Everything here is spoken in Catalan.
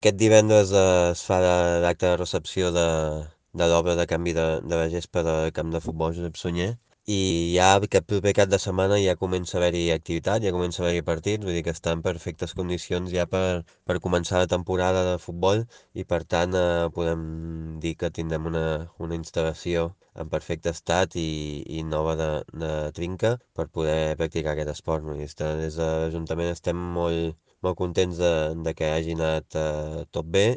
Aquest divendres es fa l'acte de recepció de l'obra de canvi de la gespa del camp de futbol Josep Sunyer i ja aquest proper cap de setmana ja comença a haver-hi activitat, ja comença a haver-hi partits, vull dir que està en perfectes condicions ja per començar la temporada de futbol i per tant podem dir que tindrem una instal·lació en perfecte estat i nova de trinca per poder practicar aquest esport. No? I des de l'Ajuntament estem molt contents de que hagi anat tot bé